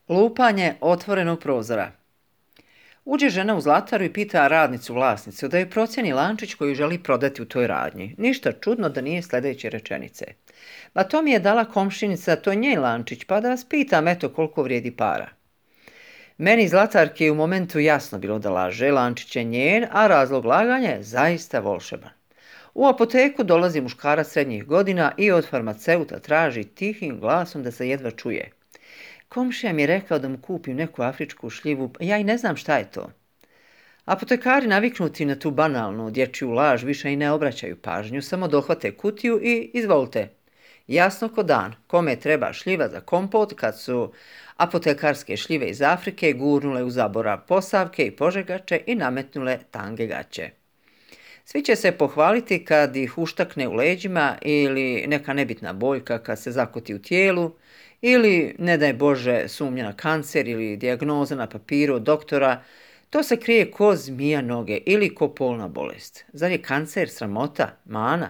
Lupanje otvorenog prozora. Uđe žena u zlataru i pita radnicu vlasnicu da joj procjeni lančić koji želi prodati u toj radnji. Ništa čudno da nije sljedeće rečenice. Ma to mi je dala komšinica, to je njen lančić, pa da vas pitam eto koliko vrijedi para. Meni zlatarki je u momentu jasno bilo da laže, lančić je njen, a razlog laganja je zaista volšeban. U apoteku dolazi muškarac srednjih godina i od farmaceuta traži tihim glasom da se jedva čuje. Komšija mi je rekao da mu kupim neku afričku šljivu, ja i ne znam šta je to. Apotekari naviknuti na tu banalnu dječju laž više i ne obraćaju pažnju, samo dohvate kutiju i izvolite. Jasno ko dan, kome treba šljiva za kompot kad su apotekarske šljive iz Afrike gurnule u zaborav posavke i požegače i nametnule tange gaće. Svi će se pohvaliti kad ih uštakne u leđima ili neka nebitna boljka kad se zakoti u tijelu, ili, ne daj Bože, sumnja na kancer ili dijagnoza na papiru od doktora, to se krije ko zmija noge ili ko polna bolest. Zar je kancer sramota, mana?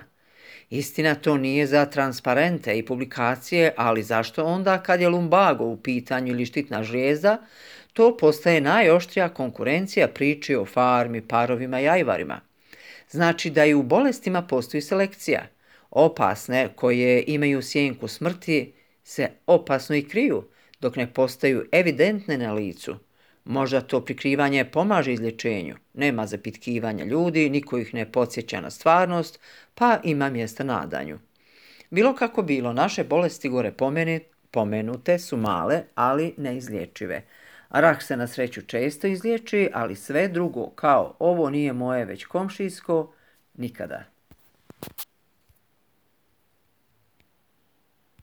Istina, to nije za transparente i publikacije, ali zašto onda kad je lumbago u pitanju ili štitna žlijezda, to postaje najoštrija konkurencija priči o farmi, parovima i ajvarima. Znači da i u bolestima postoji selekcija. Opasne koje imaju sjenku smrti se opasno i kriju, dok ne postaju evidentne na licu. Možda to prikrivanje pomaže izlječenju, nema zapitkivanja ljudi, niko ih ne podsjeća na stvarnost, pa ima mjesta nadanju. Bilo kako bilo, naše bolesti gore pomenute su male, ali neizlječive. Rak se na sreću često izliječi, ali sve drugo, kao ovo nije moje već komšijsko, nikada.